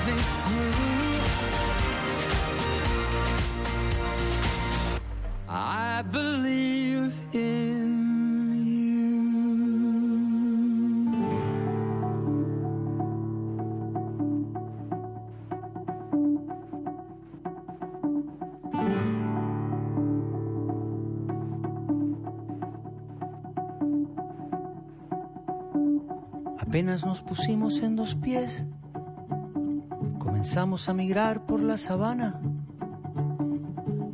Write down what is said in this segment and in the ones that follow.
It's you. I believe in you. Apenas nos pusimos en dos pies, comenzamos a migrar por la sabana,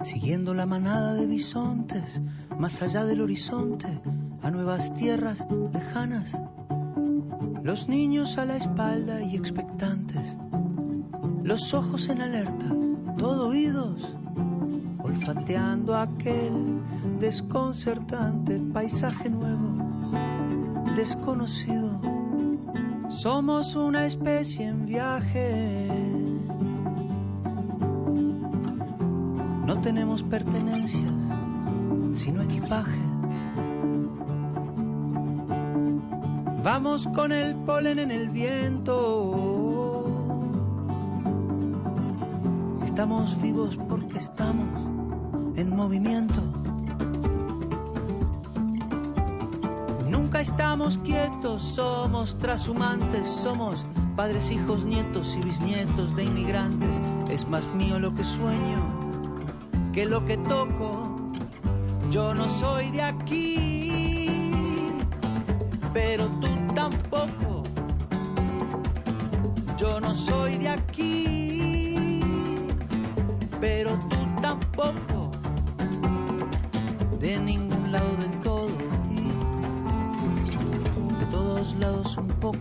siguiendo la manada de bisontes, más allá del horizonte, a nuevas tierras lejanas. Los niños a la espalda y expectantes, los ojos en alerta, todo oídos, olfateando aquel desconcertante paisaje nuevo, desconocido. Somos una especie en viaje. No tenemos pertenencias, sino equipaje. Vamos con el polen en el viento. Estamos vivos porque estamos en movimiento. Nunca estamos quietos, somos trashumantes, somos padres, hijos, nietos y bisnietos de inmigrantes. Es más mío lo que sueño que lo que toco. Yo no soy de aquí, pero tú tampoco. Yo no soy de aquí, pero tú tampoco. De ningún lado del todo y de todos lados un poco.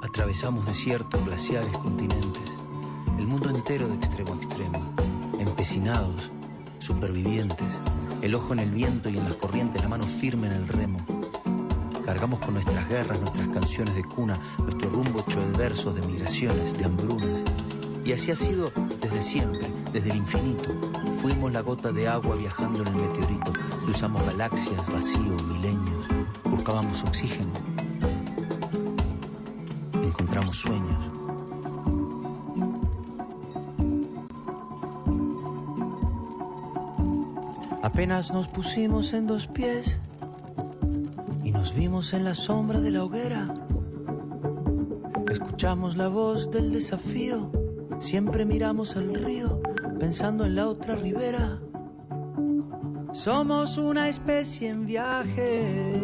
Atravesamos desiertos, glaciares, continentes, el mundo entero de extremo a extremo, empecinados, supervivientes, el ojo en el viento y en las corrientes, la mano firme en el remo. Cargamos con nuestras guerras, nuestras canciones de cuna, nuestro rumbo hecho de versos, de migraciones, de hambrunas. Y así ha sido desde siempre, desde el infinito. Fuimos la gota de agua viajando en el meteorito, cruzamos galaxias, vacío, milenios, buscábamos oxígeno. Encontramos sueños. Apenas nos pusimos en dos pies y nos vimos en la sombra de la hoguera. Escuchamos la voz del desafío, siempre miramos al río pensando en la otra ribera. Somos una especie en viaje.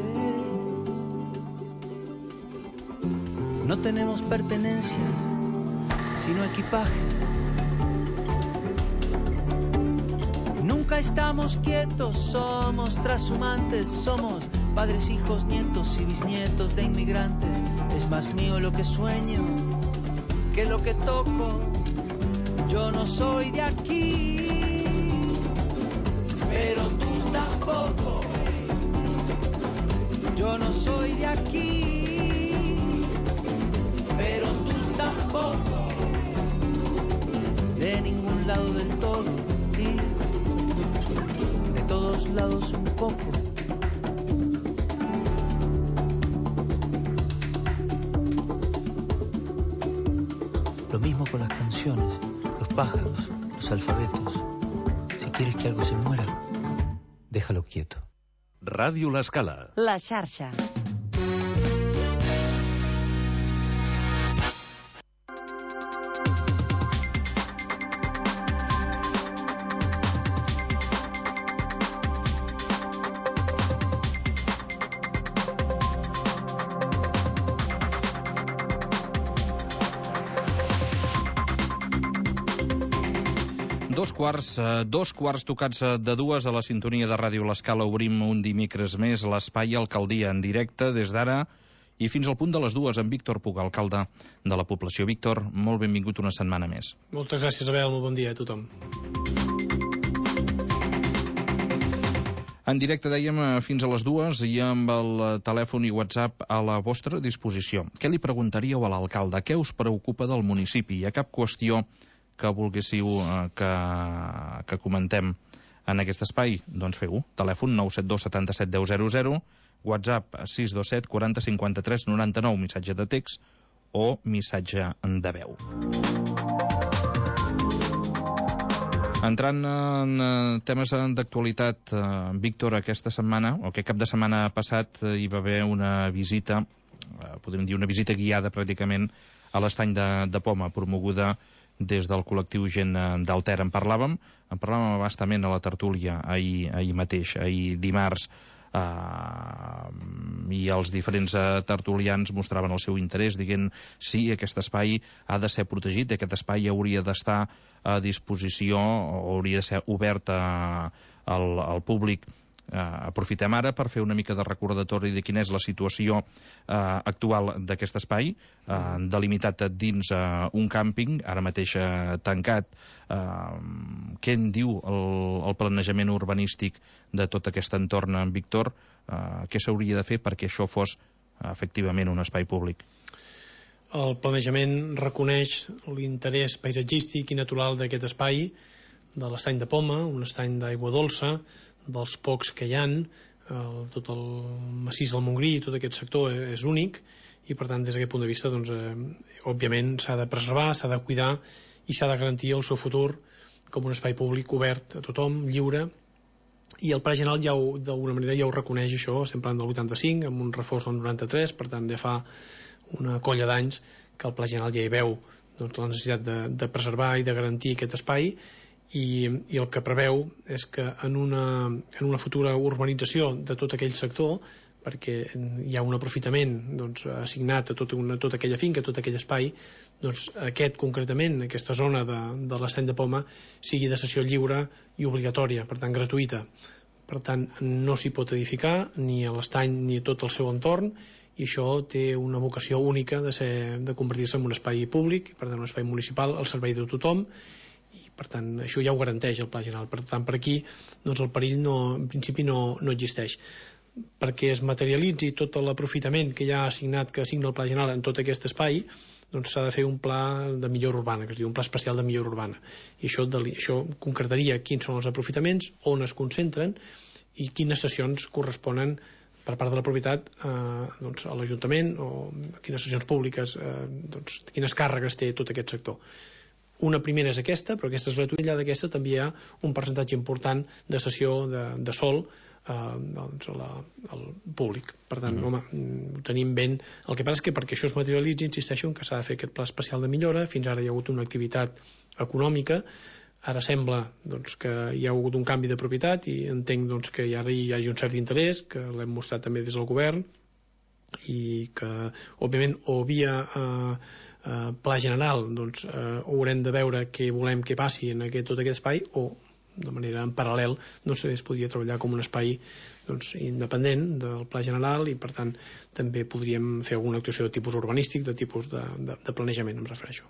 No tenemos pertenencias, sino equipaje. Nunca estamos quietos, somos trashumantes, somos padres, hijos, nietos y bisnietos de inmigrantes. Es más mío lo que sueño que lo que toco. Yo no soy de aquí, pero tú tampoco. Yo no soy de aquí, pero tú tampoco. De ningún lado del todo y de todos lados un poco. Lo mismo con las canciones, los pájaros, los alfabetos. Si quieres que algo se muera, déjalo quieto. Ràdio L'Escala. La xarxa. Dos quarts tocats de dues a la sintonia de Ràdio L'Escala. Obrim un dimecres més l'espai Alcaldia en directe des d'ara i fins al punt de les dues amb Víctor Puga, alcalde de la població. Víctor, molt benvingut una setmana més. Moltes gràcies, Abel, molt bon dia a tothom. En directe, dèiem, fins a les dues i amb el telèfon i WhatsApp a la vostra disposició. Què li preguntaríeu a l'alcalde? Què us preocupa del municipi? Hi ha cap qüestió que volguéssiu que comentem en aquest espai? Doncs feu-ho. Telèfon 972 77 10 00, WhatsApp 627 40 53 99, missatge de text o missatge de veu. Entrant en temes d'actualitat, Víctor, aquesta setmana, o aquest cap de setmana passat, hi va haver una visita, podem dir una visita guiada pràcticament a l'estany de Poma, promoguda des del col·lectiu Gent del Ter. En parlàvem bastament a la tertúlia ahir mateix, ahir dimarts, i els diferents tertulians mostraven el seu interès, dient sí, aquest espai ha de ser protegit, aquest espai hauria d'estar a disposició o hauria de ser obert al públic. Aprofitem ara per fer una mica de recordatori de quina és la situació actual d'aquest espai, delimitat dins un càmping, ara mateix tancat. Què en diu el planejament urbanístic de tot aquest entorn, Víctor? Què s'hauria de fer perquè això fos efectivament un espai públic? El planejament reconeix l'interès paisatgístic i natural d'aquest espai, de l'estany de Poma, un estany d'aigua dolça, dels pocs que hi ha, tot el massís del Montgrí, tot aquest sector és únic, i per tant des d'aquest punt de vista òbviament s'ha de preservar, s'ha de cuidar i s'ha de garantir el seu futur com un espai públic obert a tothom, lliure. I el Pla General d'alguna manera ja ho reconeix, això, estem parlant del 85, amb un reforç del 93, per tant ja fa una colla d'anys que el Pla General ja hi veu la necessitat de preservar i de garantir aquest espai, i el que preveu és que en una futura urbanització de tot aquell sector, perquè hi ha un aprofitament assignat a tota aquella finca, a tot aquell espai, aquest concretament, aquesta zona de l'estany de Poma sigui de cessió lliure i obligatòria, per tant gratuïta. Per tant, no s'hi pot edificar ni a l'estany ni a tot el seu entorn, i això té una vocació única de convertir-se en un espai públic, per tant un espai municipal al servei de tothom, i per tant això ja ho garanteix el Pla General. Per tant, per aquí el perill en principi no existeix. Perquè es materialitzi tot l'aprofitament que ja ha assignat, que assigna el Pla General en tot aquest espai, s'ha de fer un pla de millora urbana, que es diu un pla especial de millora urbana, i això concretaria quins són els aprofitaments, on es concentren i quines cessions corresponen per part de la propietat a l'Ajuntament, o quines cessions públiques, quines càrregues té tot aquest sector. Una primera és aquesta, però aquesta és gratuïta. Allà d'aquesta també hi ha un percentatge important de cessió de sòl al públic. Per tant, ho tenim ben. El que passa és que perquè això es materialitzi, insisteixo en que s'ha de fer aquest pla especial de millora. Fins ara hi ha hagut una activitat econòmica, ara sembla que hi ha hagut un canvi de propietat i entenc que ara hi hagi un cert interès, que l'hem mostrat també des del govern, i que òbviament o via Pla General haurem de veure què volem que passi en tot aquest espai, o de manera en paral·lel es podria treballar com un espai independent del Pla General, i per tant també podríem fer alguna actuació de tipus urbanístic, de tipus de planejament, em refereixo.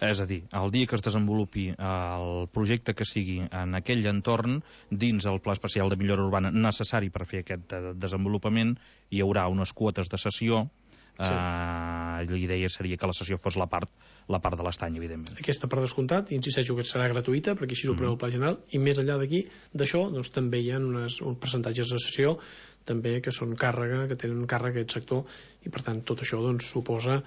És a dir, el dia que es desenvolupi el projecte que sigui en aquell entorn, dins el Pla Especial de Millora Urbana necessari per fer aquest desenvolupament, hi haurà unes quotes de cessió. La idea seria que la cessió fos la part de l'estany, evidentment. Aquesta per descomptat, insisteixo que serà gratuïta, perquè així ho preveu el Pla General, i més enllà d'aquí, d'això, també hi ha uns percentatges de cessió també que són càrrega, que tenen càrrega aquest sector, i per tant tot això suposarà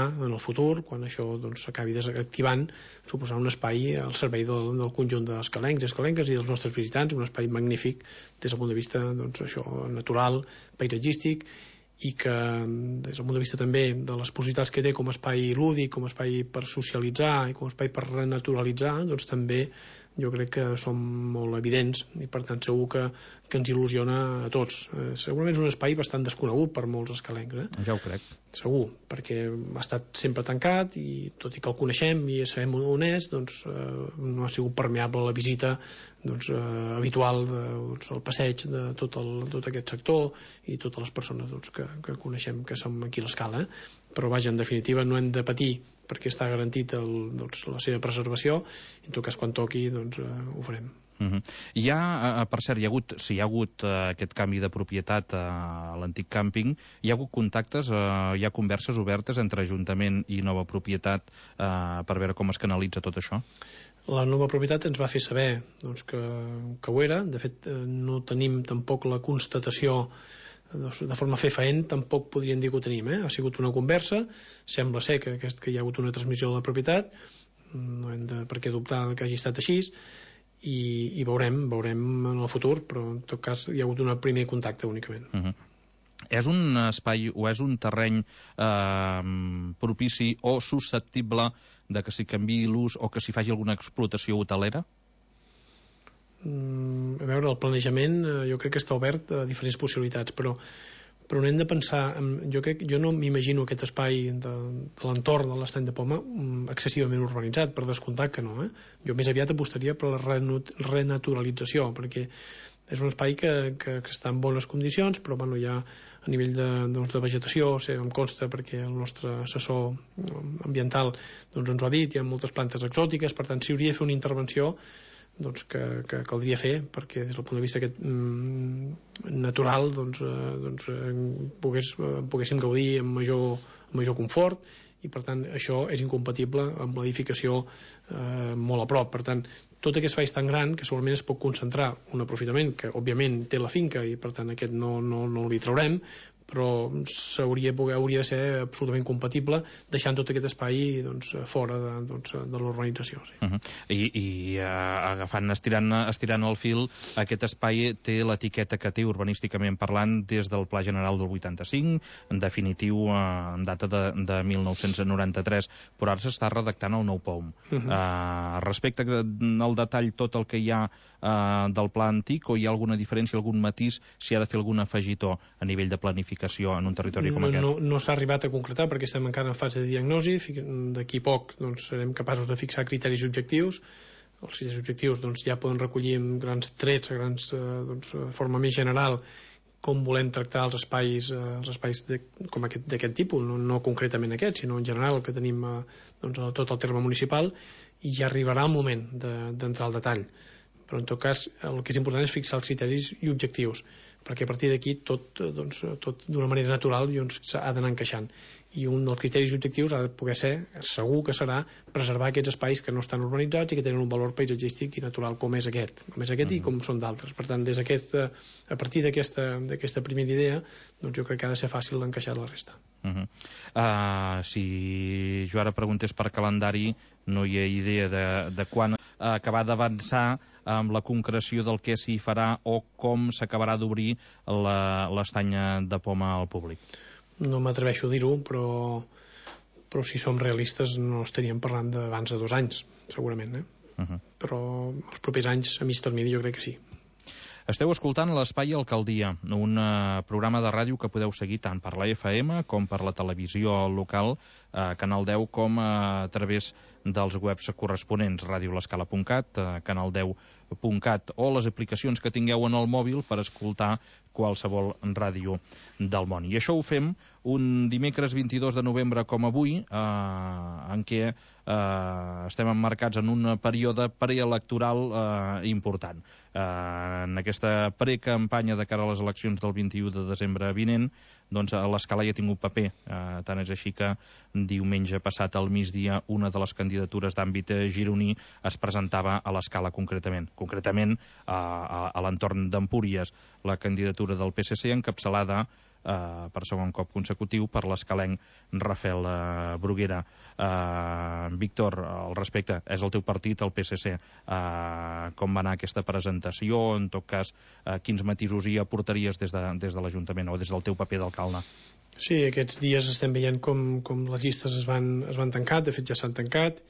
en el futur, quan això s'acabi desactivant, suposarà un espai al servei del conjunt d'escalencs i escalenques i dels nostres visitants, un espai magnífic des del punt de vista natural, paisatgístic, i que des del punt de vista també de les possibilitats que té com a espai lúdic, com a espai per socialitzar i com a espai per renaturalitzar, també jo crec que són molt evidents, i per tant segur que ens il·lusiona a tots. Segurament és un espai bastant desconegut per molts escalencs. Ja ho crec. Segur, perquè ha estat sempre tancat, i tot i que el coneixem i sabem on és, no ha sigut permeable a la visita habitual, el passeig de tot aquest sector i totes les persones que coneixem, que som aquí a l'escala. Però vaja, en definitiva no hem de patir, perquè està garantit la seva preservació, i en tot cas quan toqui ho farem. Hi ha, per cert, si hi ha hagut aquest canvi de propietat a l'antic càmping, hi ha hagut contactes, hi ha converses obertes entre Ajuntament i nova propietat per veure com es canalitza tot això? La nova propietat ens va fer saber doncs, que ho era. De fet, no tenim tampoc la constatació de forma fefaent, tampoc podríem dir que ho tenim. Ha sigut una conversa, sembla ser que hi ha hagut una transmissió de la propietat, no hem de per què dubtar que hagi estat així, i veurem en el futur, però en tot cas hi ha hagut un primer contacte únicament. És un espai o és un terreny propici o susceptible de que s'hi canviï l'ús o que s'hi faci alguna explotació hotelera? A veure, el planejament jo crec que està obert a diferents possibilitats, però n'hem de pensar, jo no m'imagino aquest espai de l'entorn de l'Estany de Poma excessivament urbanitzat, per descomptat que no. Jo més aviat apostaria per la renaturalització, perquè és un espai que està en bones condicions, però hi ha a nivell de vegetació, em consta perquè el nostre assessor ambiental ens ho ha dit, hi ha moltes plantes exòtiques, per tant, si hauria de fer una intervenció que caldria fer perquè des del punt de vista natural poguéssim gaudir amb major confort, i per tant això és incompatible amb l'edificació molt a prop. Per tant, tot aquest espai és tan gran que segurament es pot concentrar un aprofitament que òbviament té la finca i per tant aquest no li traurem, però hauria de ser absolutament compatible deixant tot aquest espai fora de l'urbanització. I agafant, estirant el fil, aquest espai té l'etiqueta que té urbanísticament parlant des del Pla General del 85, en definitiu en data de 1993, però ara s'està redactant el nou POUM. Respecte al detall tot el que hi ha del pla antic, o hi ha alguna diferència, algun matís, si ha de fer algun afegitó a nivell de planificació en un territori com aquest? No s'ha arribat a concretar perquè estem encara en fase de diagnosi. D'aquí poc serem capaços de fixar criteris objectius. Els criteris objectius ja poden recollir en grans trets, de forma més general, com volem tractar els espais d'aquest tipus, no concretament aquest, sinó en general el que tenim a tot el terme municipal, i ja arribarà el moment d'entrar al detall. Però en tot cas el que és important és fixar els criteris i objectius, perquè a partir d'aquí tot d'una manera natural ha d'anar encaixant, i un dels criteris i objectius ha de poder ser, segur que serà, preservar aquests espais que no estan urbanitzats i que tenen un valor paisatgístic i natural com és aquest i com són d'altres. Per tant, a partir d'aquesta primera idea, jo crec que ha de ser fàcil encaixar la resta. Si jo ara preguntés per calendari, no hi ha idea de quan acabar d'avançar amb la concreció del que s'hi farà o com s'acabarà d'obrir l'estany de Poma al públic? No m'atreveixo a dir-ho, però si som realistes no estaríem parlant d'abans de 2 anys, segurament. Però els propers anys, a mig termini, jo crec que sí. Esteu escoltant l'Espai Alcaldia, un programa de ràdio que podeu seguir tant per la FM com per la televisió local, Canal 10, com a través dels webs corresponents, radiolescala.cat, canal10.cat, o les aplicacions que tingueu en el mòbil per escoltar qualsevol ràdio del món. I això ho fem un dimecres 22 de novembre com avui, en què estem emmarcats en un període preelectoral important. En aquesta precampanya de cara a les eleccions del 21 de desembre vinent, doncs l'Escala ja ha tingut paper. Tant és així que diumenge passat al migdia una de les candidatures d'àmbit gironí es presentava a l'Escala concretament a l'entorn d'Empúries, la candidatura del PSC encapçalada per segon cop consecutiu per l'escalenc Rafael Bruguera. Víctor, al respecte, és el teu partit, el PSC. Com va anar aquesta presentació? En tot cas, quins matisos hi aportaries des de l'Ajuntament o des del teu paper d'alcalde? Sí, aquests dies estem veient com les llistes es van tancar, de fet ja s'han tancat,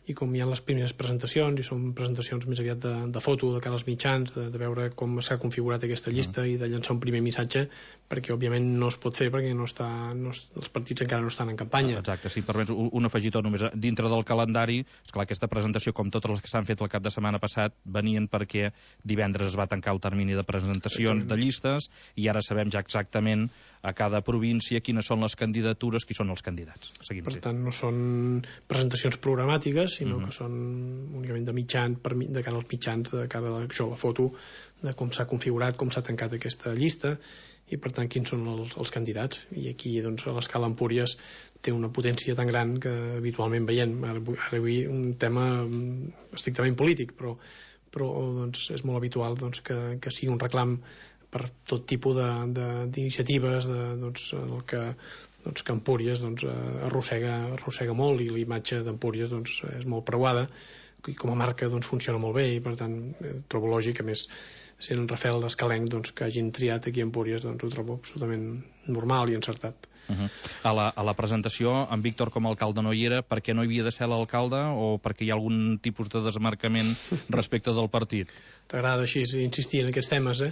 i com hi ha les primeres presentacions, i són presentacions més aviat de foto de cara als mitjans, de veure com s'ha configurat aquesta llista i de llançar un primer missatge, perquè òbviament no es pot fer perquè els partits encara no estan en campanya. Exacte, si permets un afegitó només dintre del calendari. Esclar, aquesta presentació, com totes les que s'han fet el cap de setmana passat, venien perquè divendres es va tancar el termini de presentació de llistes i ara sabem ja exactament a cada província, quines són les candidatures, qui són els candidats. Seguim. Per tant, no són presentacions programàtiques, sinó que són únicament de mitjans, de cara als mitjans, de cara a la foto, de com s'ha configurat, com s'ha tancat aquesta llista, i per tant quins són els candidats. I aquí doncs, a l'escala Empúries té una potència tan gran que habitualment veiem. Ara vull un tema estrictament polític, però doncs, és molt habitual doncs, que sigui un reclam per tot tipus d'iniciatives doncs, el que Empúries doncs, arrossega molt, i la imatge d'Empúries doncs, és molt preuada, i com a marca doncs, funciona molt bé, i per tant trobo lògic, a més sent en Rafael Escalenc doncs, que hagin triat aquí a Empúries, doncs ho trobo absolutament normal i encertat. A la presentació, en Víctor com a alcalde no hi era, per què no hi havia de ser l'alcalde, o perquè hi ha algun tipus de desmarcament respecte del partit? T'agrada així insistir en aquests temes, eh?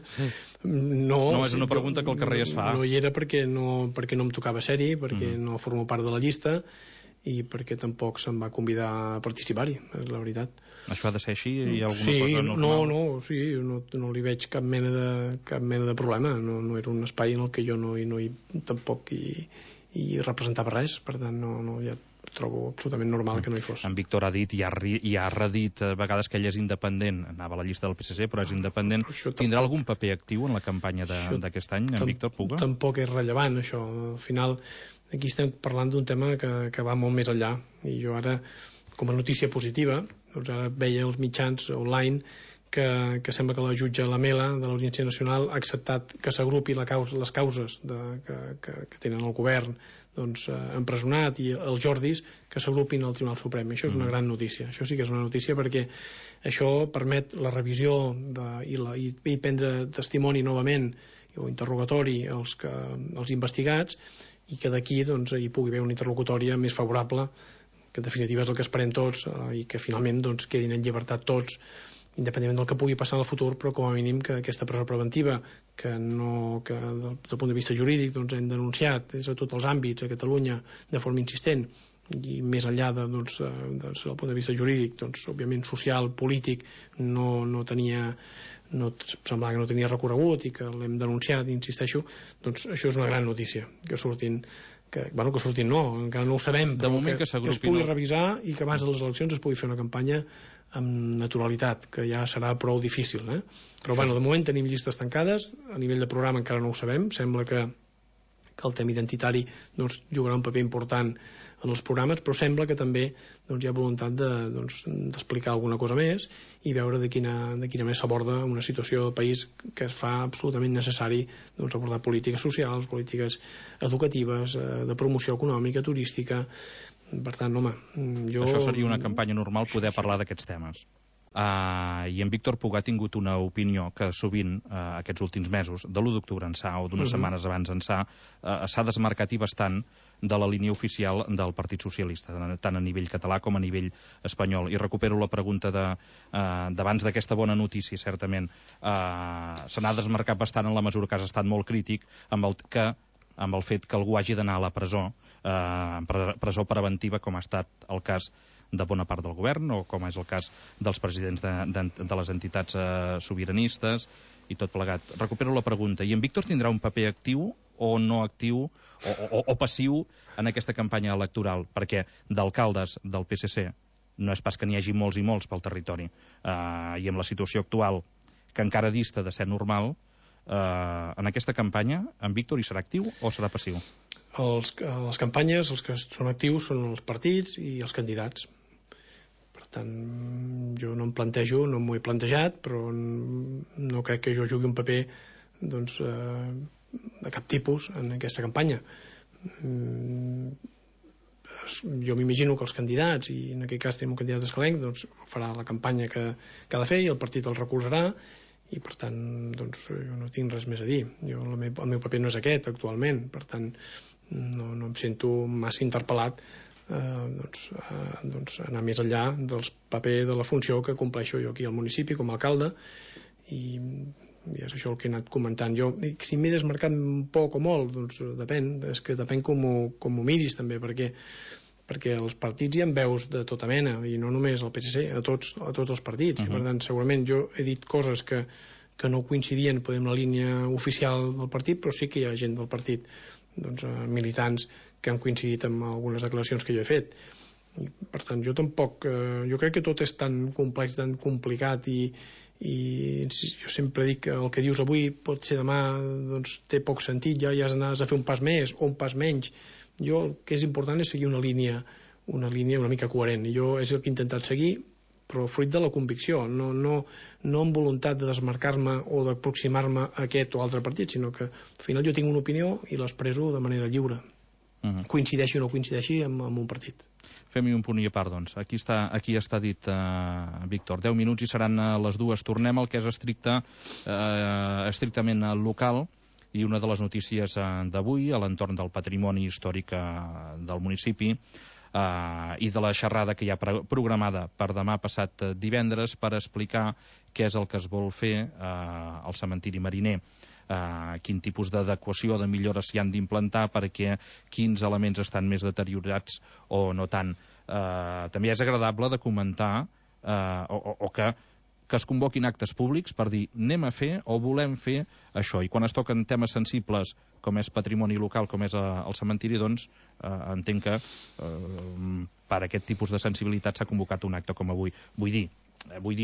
No, és una pregunta que el carrer es fa. No hi era perquè no em tocava ser-hi, perquè no formo part de la llista, i perquè tampoc se'm va convidar a participar-hi, és la veritat. Això ha de ser així? Hi ha alguna cosa normal? No li veig cap mena de problema. No era un espai en el que jo no tampoc hi representava res, per tant ja trobo absolutament normal que no hi fos. En Víctor ha dit i ha redit a vegades que ell és independent, anava a la llista del PSC però és independent. Tindrà algun paper actiu en la campanya d'aquest any, en Víctor Puga? Tampoc és rellevant això. Al final aquí estem parlant d'un tema que va molt més enllà, i jo ara, com a notícia positiva, doncs ara veia els mitjans online que sembla que la jutge Lamela de l'Audiència Nacional ha acceptat que s'agrupi les causes que tenen el govern doncs, empresonat, i els Jordis que s'agrupin al Tribunal Suprem. Això és una gran notícia, això sí que és una notícia, perquè això permet la revisió i prendre testimoni novament o interrogatori als investigats, i que d'aquí doncs, hi pugui haver una interlocutòria més favorable, que en definitiva és el que esperem tots, i que finalment doncs, quedin en llibertat tots, independentment del que pugui passar en el futur, però com a mínim que aquesta presó preventiva que des del punt de vista jurídic doncs, hem denunciat des de tots els àmbits a Catalunya de forma insistent, i més enllà del punt de vista jurídic, doncs, òbviament social, polític, semblava que no tenia recorregut, i que l'hem denunciat, insisteixo, doncs això és una gran notícia, que surtin no, encara no ho sabem, però que es pugui revisar, i que abans de les eleccions es pugui fer una campanya amb naturalitat, que ja serà prou difícil, eh? Però bueno, de moment tenim llistes tancades, a nivell de programa encara no ho sabem, sembla que el tema identitari doncs, jugarà un paper important en els programes, però sembla que també doncs, hi ha voluntat d'explicar alguna cosa més i veure de quina manera s'aborda una situació del país que es fa absolutament necessari doncs, abordar polítiques socials, polítiques educatives, de promoció econòmica, turística. Per tant, home, Això seria una campanya normal, poder parlar d'aquests temes. I en Víctor Puga ha tingut una opinió que sovint aquests últims mesos, de l'1 d'octubre ençà o d'unes setmanes abans ençà, s'ha desmarcat i bastant de la línia oficial del Partit Socialista, tant a nivell català com a nivell espanyol. I recupero la pregunta d'abans d'aquesta bona notícia, certament. Se n'ha desmarcat bastant en la mesura que has estat molt crític amb el fet que algú hagi d'anar a la presó, presó preventiva, com ha estat el cas de bona part del govern, o com és el cas dels presidents de les entitats sobiranistes i tot plegat. Recupero la pregunta. I en Víctor tindrà un paper actiu o no actiu o passiu en aquesta campanya electoral? Perquè d'alcaldes del PSC no és pas que n'hi hagi molts i molts pel territori. I amb la situació actual, que encara dista de ser normal, en aquesta campanya en Víctor hi serà actiu o serà passiu? Les campanyes, els que són actius són els partits i els candidats. Per tant, jo no em plantejo, no m'ho he plantejat, però no crec que jo jugui un paper doncs, de cap tipus en aquesta campanya. Jo m'imagino que els candidats, i en aquest cas tenim un candidat escalenc, doncs farà la campanya que ha de fer i el partit el recolzarà, i per tant doncs, jo no tinc res més a dir. El meu paper no és aquest actualment, per tant no em sento massa interpel·lat anar més enllà del paper de la funció que compleixo jo aquí al municipi com a alcalde, i és això el que he anat comentant. Jo, si m'he desmarcat un poc o molt, doncs depèn, és que depèn com ho miris també, perquè els partits hi ha veus de tota mena, i no només al PSC, a tots els partits. Per tant, segurament jo he dit coses que que no coincidien amb la línia oficial del partit, però sí que hi ha gent del partit, doncs, militants que han coincidit amb algunes declaracions que jo he fet. I, per tant, jo tampoc... jo crec que tot és tan complex, tan complicat, i jo sempre dic que el que dius avui pot ser demà, doncs té poc sentit, ja has de fer un pas més o un pas menys. Jo el que és important és seguir una línia una mica coherent, i jo és el que he intentat seguir, però fruit de la convicció, no amb voluntat de desmarcar-me o d'aproximar-me a aquest o altre partit, sinó que al final jo tinc una opinió i l'expresso de manera lliure, coincideixi o no coincideixi amb un partit. Fem-hi un punt i a part, doncs. Aquí està dit, Víctor. 10 minuts i seran les 2. Tornem al que és estrictament local, i una de les notícies d'avui a l'entorn del patrimoni històric del municipi i de la xerrada que hi ha programada per demà passat divendres per explicar què és el que es vol fer al cementiri Mariner. Quin tipus d'adequació, de millores s'hi han d'implantar, perquè quins elements estan més deteriorats o no tant. També és agradable de comentar o que es convoquin actes públics per dir anem a fer o volem fer això, i quan es toquen temes sensibles com és patrimoni local, com és el cementiri, doncs entenc que per aquest tipus de sensibilitat s'ha convocat un acte com avui. Vull dir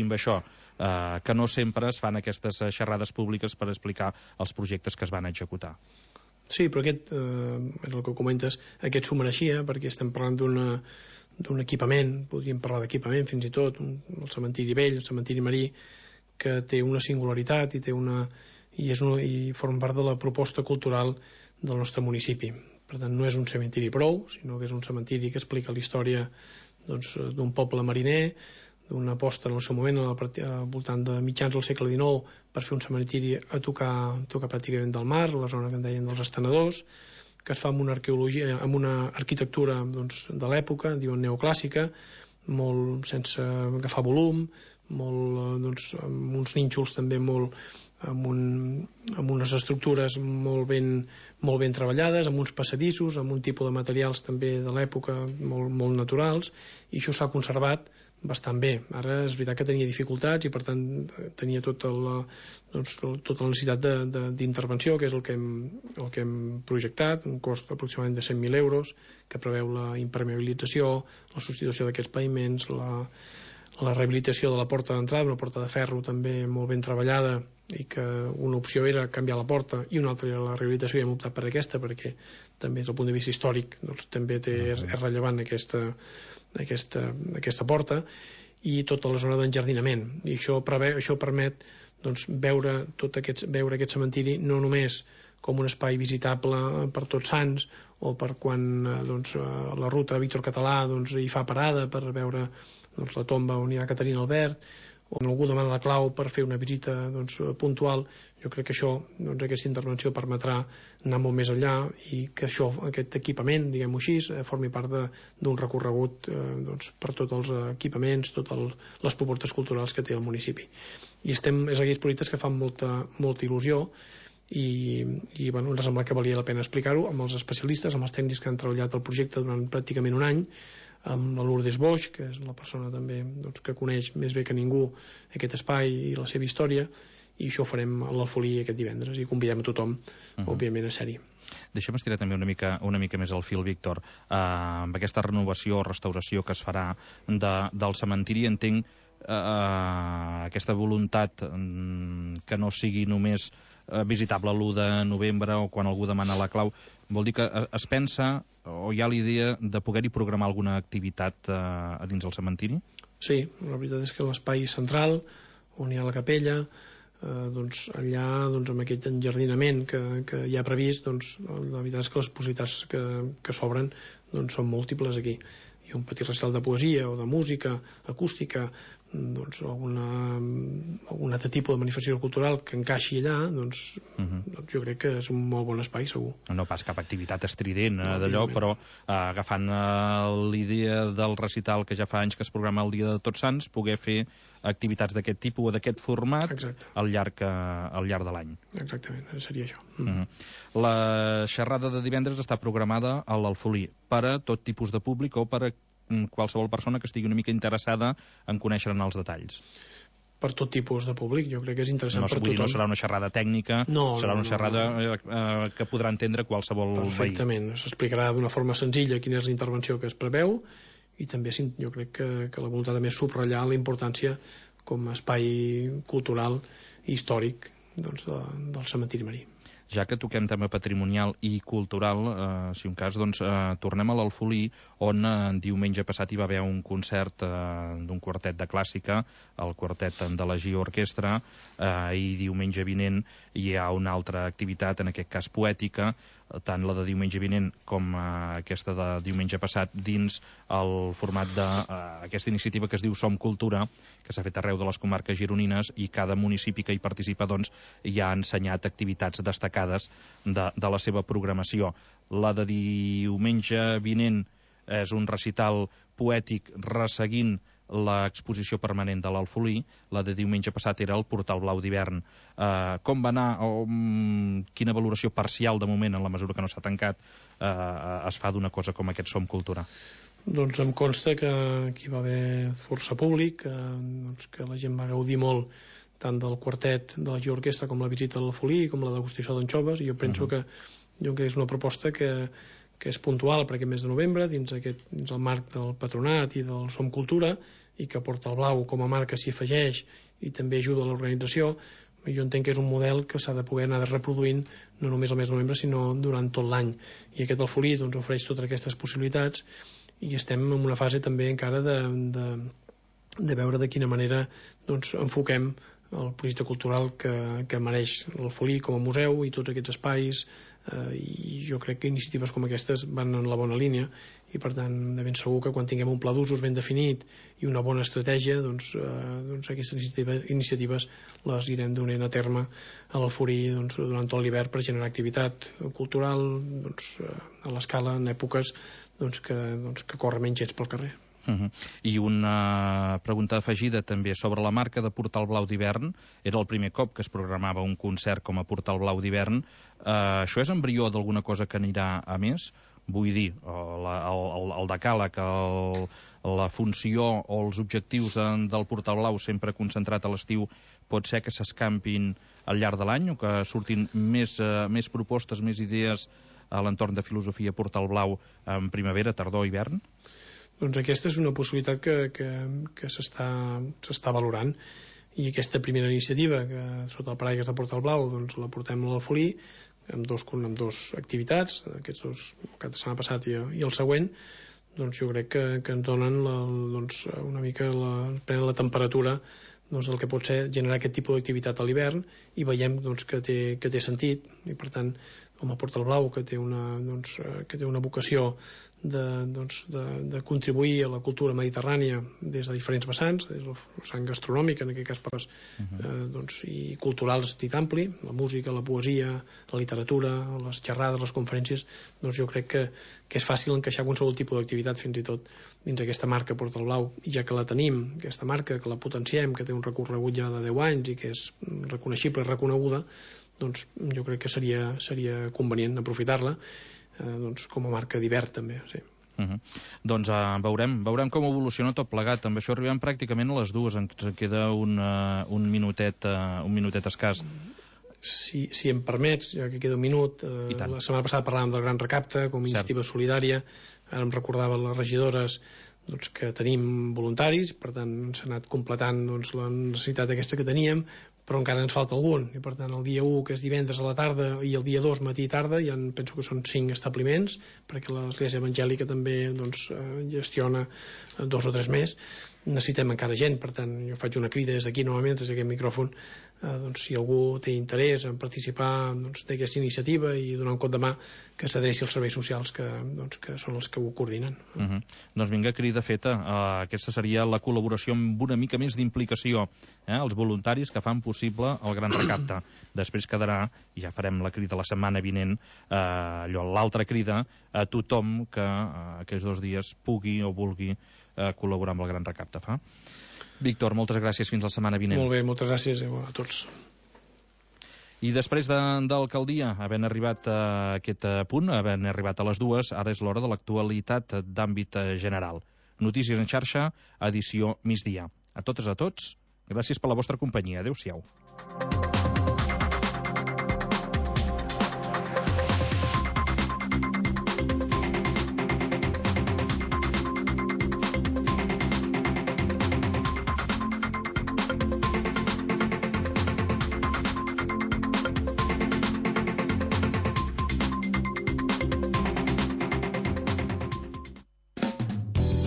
amb això que no sempre es fan aquestes xerrades públiques per explicar els projectes que es van executar. Sí, però aquest, és el que comentes, aquest s'ho mereixia, perquè estem parlant d'un equipament, podríem parlar d'equipament fins i tot, el cementiri vell, el cementiri marí, que té una singularitat i forma part de la proposta cultural del nostre municipi. Per tant, no és un cementiri prou, sinó que és un cementiri que explica la història d'un poble mariner, d'una aposta en el seu moment al voltant de mitjans del segle XIX per fer un cementiri a tocar pràcticament del mar, la zona que en deien dels estenedors, que es fa amb una arqueologia, amb una arquitectura de l'època, diuen neoclàssica, molt sense agafar volum, amb uns nínxols també amb unes estructures molt ben treballades, amb uns passadissos, amb un tipus de materials també de l'època molt naturals, i això s'ha conservat bastant bé. Ara és veritat que tenia dificultats i per tant tenia tota la necessitat d'intervenció, que és el que hem projectat, un cost aproximadament de 100.000 euros, que preveu la impermeabilització, la substitució d'aquests paviments, la rehabilitació de la porta d'entrada, una porta de ferro també molt ben treballada, i que una opció era canviar la porta i una altra era la rehabilitació, i hem optat per aquesta perquè també des del punt de vista històric també és rellevant aquesta porta, i tota la zona d'enjardinament, i això permet veure aquest cementiri no només com un espai visitable per Tots Sants o per quan la ruta Víctor Català hi fa parada per veure la tomba on hi ha Caterina Albert, o algú demana la clau per fer una visita puntual. Jo crec que aquesta intervenció permetrà anar molt més enllà i que aquest equipament, diguem-ho així, formi part d'un recorregut per tots els equipaments, totes les propostes culturals que té el municipi. I és aquells projectes que fan molta il·lusió, i ens sembla que valia la pena explicar-ho amb els especialistes, amb els tècnics que han treballat el projecte durant pràcticament un any, amb la Lourdes Boix, que és la persona també que coneix més bé que ningú aquest espai i la seva història, i això ho farem a l'Alfolí aquest divendres i convidem a tothom, òbviament, a ser-hi. Deixa'm estirar també una mica més el fil, Víctor. Amb aquesta renovació o restauració que es farà del cementiri, entenc aquesta voluntat que no sigui només visitable l'1 de novembre o quan algú demana la clau, vol dir que es pensa o hi ha l'idea de poder-hi programar alguna activitat a dins del cementiri? Sí, la veritat és que l'espai central on hi ha la capella, allà amb aquest enjardinament que hi ha previst, la veritat és que les possibilitats que s'obren són múltiples aquí. Hi ha un petit recital de poesia o de música acústica, algun altre tipus de manifestació cultural que encaixi allà, jo crec que és un molt bon espai, segur. No pas cap activitat estrident d'allò, però agafant l'idea del recital que ja fa anys que es programa el dia de Tots Sants, poder fer activitats d'aquest tipus o d'aquest format al llarg de l'any. Exactament, seria això. La xerrada de divendres està programada a l'Alfolí per a tot tipus de públic o per a qualsevol persona que estigui una mica interessada en conèixer-ne els detalls? per tot tipus de públic. Jo crec que és interessant per tothom. No serà una xerrada tècnica, serà una xerrada que podrà entendre qualsevol veí. Perfectament. S'explicarà d'una forma senzilla quina és la intervenció que es preveu, i també jo crec que la voluntat també és subratllar la importància com a espai cultural i històric del cementiri marí. Ja que toquem tema patrimonial i cultural, si un cas, tornem a l'Alfolí, on diumenge passat hi va haver un concert d'un quartet de clàssica, el quartet de la Gio Orquestra, i diumenge vinent hi ha una altra activitat, en aquest cas poètica, tant la de diumenge vinent com aquesta de diumenge passat, dins el format d'aquesta iniciativa que es diu Som Cultura, que s'ha fet arreu de les comarques gironines, i cada municipi que hi participa ja ha ensenyat activitats destacades de la seva programació. La de diumenge vinent és un recital poètic resseguint l'exposició permanent de l'Alfolí. La de diumenge passat era el Portal Blau d'hivern. Com va anar, quina valoració parcial de moment, en la mesura que no s'ha tancat, es fa d'una cosa com aquest Som Cultura? Doncs em consta que hi va haver força públic, que la gent va gaudir molt tant del quartet de la Gio Orquestra com la visita a l'Alfolí, com la degustació d'anxoves, i jo penso que és una proposta que és puntual per aquest mes de novembre, dins el marc del patronat i del Som Cultura, i que Portal Blau com a marca s'hi afegeix i també ajuda a l'organització. Jo entenc que és un model que s'ha de poder anar reproduint no només al mes de novembre, sinó durant tot l'any. I aquest Alfolí ofereix totes aquestes possibilitats, i estem en una fase també encara de veure de quina manera enfoquem el projecte cultural que mereix l'Alfolí com a museu i tots aquests espais, i jo crec que iniciatives com aquestes van en la bona línia, i per tant de ben segur que quan tinguem un pla d'usos ben definit i una bona estratègia, aquestes iniciatives les irem donant a terme a l'Alfolí durant tot l'hivern per generar activitat cultural a l'escala en èpoques que corre menys gens pel carrer. I una pregunta afegida també sobre la marca de Portal Blau d'hivern. Era el primer cop que es programava un concert com a Portal Blau d'hivern. Això és embrió d'alguna cosa que anirà a més? Vull dir, el decàleg, la funció o els objectius del Portal Blau sempre concentrat a l'estiu, pot ser que s'escampin al llarg de l'any, o que surtin més propostes, més idees a l'entorn de filosofia Portal Blau en primavera, tardor, hivern? Doncs aquesta és una possibilitat que s'està valorant, i aquesta primera iniciativa, que sota el paraigües de Portal Blau la portem a l'Alfolí amb dos activitats, aquests dos, el cap de setmana passat i el següent, jo crec que ens donen una mica prenen la temperatura el que pot ser generar aquest tipus d'activitat a l'hivern, i veiem que té sentit, i per tant com a Portal Blau, que té una vocació de contribuir a la cultura mediterrània des de diferents vessants, des del vessant gastronòmic, en aquest cas i culturals dit ampli, la música, la poesia, la literatura, les xerrades, les conferències, jo crec que és fàcil encaixar qualsevol tipus d'activitat fins i tot dins aquesta marca Portal Blau, i ja que la tenim, aquesta marca, que la potenciem, que té un recorregut ja de 10 anys i que és reconeixible i reconeguda, jo crec que seria convenient aprofitar-la com a marca d'hivern també, sí. Doncs veurem com evoluciona tot plegat. Amb això arribem pràcticament a les 2, ens queda un minutet escàs. Si em permets, ja que queda un minut, la setmana passada parlàvem del Gran Recapte com a iniciativa solidària. Ara em recordava les regidores que tenim voluntaris, per tant s'ha anat completant la necessitat aquesta que teníem, però encara ens falta algun, i per tant el dia 1, que és divendres a la tarda, i el dia 2, matí i tarda, ja penso que són 5 establiments, perquè l'Església Evangèlica també gestiona 2 o 3 més. Necessitem encara gent, per tant jo faig una crida des d'aquí novament, des d'aquest micròfon, si algú té interès en participar d'aquesta iniciativa i donar un cop de mà, que s'adreci als serveis socials que són els que ho coordinen. Doncs vinga, crida feta. Aquesta seria la col·laboració amb una mica més d'implicació, els voluntaris que fan possible el Gran Recapte. Després quedarà, i ja farem la crida la setmana vinent, l'altra crida a tothom que aquests 2 dies pugui o vulgui col·laborar amb el Gran Recapte. Víctor, moltes gràcies, fins la setmana vinent. Molt bé, moltes gràcies a tots. I després d'alcaldia, havent arribat a aquest punt, havent arribat a les 2, ara és l'hora de l'actualitat d'àmbit general. Notícies en xarxa, edició migdia. A totes, Gràcies per la vostra companyia. Adéu-siau.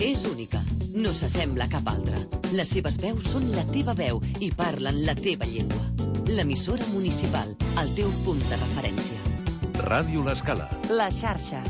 És única, no s'assembla a cap altra. Les seves veus són la teva veu i parlen la teva llengua. L'emissora municipal, el teu punt de referència. Ràdio L'Escala. La xarxa.